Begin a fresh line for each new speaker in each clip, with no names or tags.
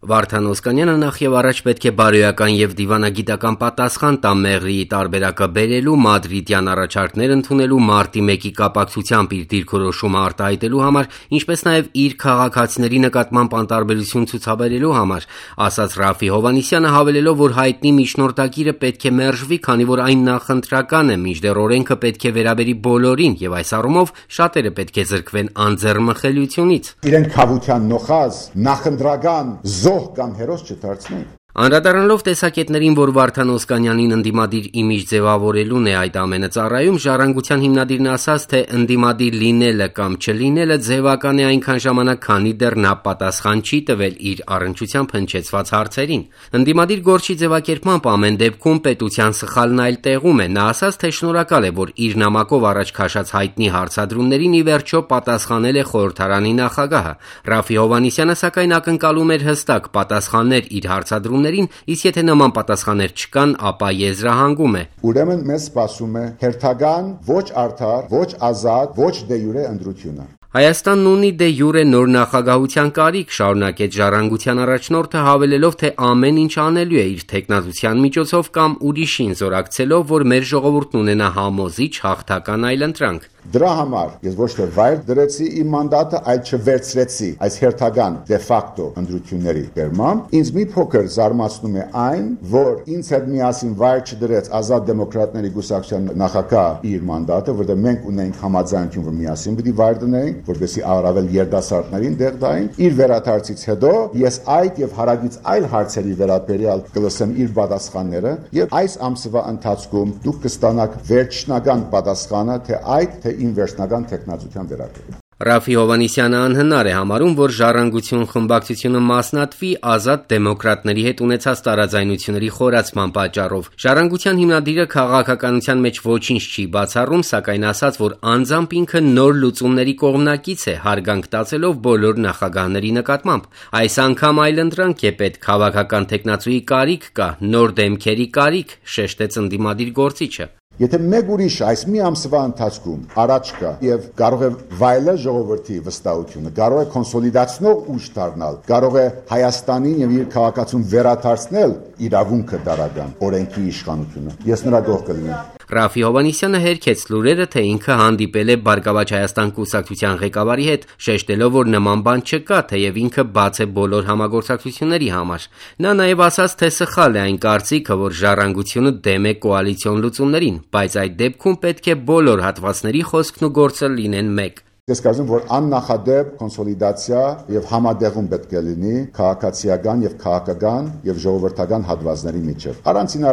Վարդան Օսկանյանը նախ եւ առաջ պետք է բարոյական եւ դիվանագիտական պատասխան տա Մեղրիի տարբերակը բերելու, մադրիդյան առաջարկներ ընդունելու, մարտի 1-ի կապակցությամբ իր դիրքորոշումը արտահայտելու համար, ինչպես նաեւ իր քաղաքացիների նկատմամբ անտարբերություն ցուցաբերելու համար, ասաց Ռաֆի Հովհաննիսյանը, հավելելով, որ հայտնի միջնորդագիրը պետք է մերժվի, քանի որ այն նախընտրական է, մինչդեռ օրենքը պետք է վերաբերի բոլորին եւ այս առումով շատերը պետք է զրկվեն անձեռմխելիությունից։
Իրեն քավության նոխազ նախընտրական զոհ կամ հերոս չդարձնենք։
Անդրադառնալով տեսակետներին, որ Վարդան Օսկանյանին ընդդիմադիր իմիջ ձևավորելուն է այդ ամենը ծառայում, Ժառանգության հիմնադիրն ասաց, թե ընդդիմադիր լինելը կամ չլինելը ձևական է այնքան ժամանակ, քանի դեռ նա պատասխան չի տվել իր առնչությամբ հնչեցված հարցերին։ Ընդդիմադիր գործի ձևակերպմամբ ամեն դեպքում պետության սխալն այլ տեղում է։ Նա ասաց, թե շնորհակալ է, որ իր նամակով առաջ քաշած հայտնի հարցադրումներին ի վերջո պատասխանել է խորհրդարանի նախագահը։ Ռաֆի Հովհաննիսյանը սակայն ակնկալում էր հստակ պատասխաններ իր հարցադրումներին, իսկ եթե նման պատասխաններ չկան, ապա եզրահանգում է։
Ուրեմն մեզ սպասում է հերթական, ոչ արդար, ոչ ազատ, ոչ դե յուրե ընտրությունը։
Հայաստանն ունի դե յուրե նոր նախագահության կարիք, շարունակեց Ժառանգության առաջնորդը, հավելելով, թե ամեն ինչ անելու է իր թեկնածության միջոցով կամ ուրիշին զորակցելով, որ մեր ժողովուրդն ունենա համոզիչ հաղթական այլընտրանք։
Դրա համար ես ոչ թե վայր դրեցի իմ մանդատը, այլ չվերցրեցի այս հերթական դե ֆակտո ընտրությունների բերմամբ։ Ինձ մի փոքր զարմացնում է այն, որ ինձ հետ միասին վայր չդրեց Ազատ դեմոկրատների կուսակցության նախագահ իր մանդատը, որտեղ մենք ունենք համաձայնություն, որ միասին պիտի վայր դնենք, որպեսզի առավել երիտասարդներին դեղ տային։ Իր վերադարձից հետո ես այդ եւ հարագից այլ հարցերի վերաբերյալ կլսեմ իր պատասխանները եւ այս ամսվա ընթացքում դուք կստանաք վերջնական պատասխանը, թե այդ թե իմ վերջնական տեխնացության վերաբերյալ։
Ռաֆի Հովհաննիսյանը անհնար է համարում, որ Ժառանգություն խմբակցությունը մասնատվի Ազատ դեմոկրատների հետ ունեցած տարաձայնությունների խորացման պատճառով։ Ժառանգության հիմնադիրը քաղաքականության մեջ ոչինչ չի բացառում, սակայն ասաց, որ անձամբ ինքը նոր լուծումների կողմնակից է, հարգանք տածելով բոլոր նախագահների նկատմամբ։ Այս անգամ այլընտրանք է պետք, քաղաքական տեխնացուի կարիք կա, նոր դեմքերի կարիք, շեշտեց ընդդիմադիր գործիչը։
Եթե մեկ ուրիշ այս մի ամսվա ընթացքում առաջ կա եւ կարող է վայելել ժողովրդի վստահությունը, կարող է կոնսոլիդացնող ուժ դառնալ, կարող է Հայաստանին եւ իր քաղաքացուն վերադարձնել իրավունքը դարական, օրենքի իշխանությունը, ես նրա կողմ կլինեմ։
Ռաֆի Հովհաննիսյանը հերքեց լուրերը, թե ինքը հանդիպել է Բարգավաճ Հայաստան կուսակցության ղեկավարի հետ, շեշտելով, որ նման բան չկա, թեև ինքը բաց է բոլոր համագործակցությունների համար։ Նա նաև ասաց, թե սխալ է այն կարծիքը, որ Ժառանգությունը դեմ է կոալիցիոն լուծումներին, բայց այդ դեպքում պետք է բոլոր հատվածների խոսքն ու գործը լինեն մեկ։
Ես կարծում որ աննախադեպ կոնսոլիդացիա եւ համադեղում պետք է լինի քաղաքացիական եւ քաղաքական եւ ժողովրդական հատվածների միջեւ։ Առանցին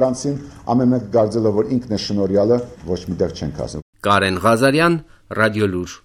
ամեն մեկ կարծելով որ ինքն է շնորհյալը ոչ միտեղ չենք ասում։
Կարեն Ղազարյան, Ռադիոլուր։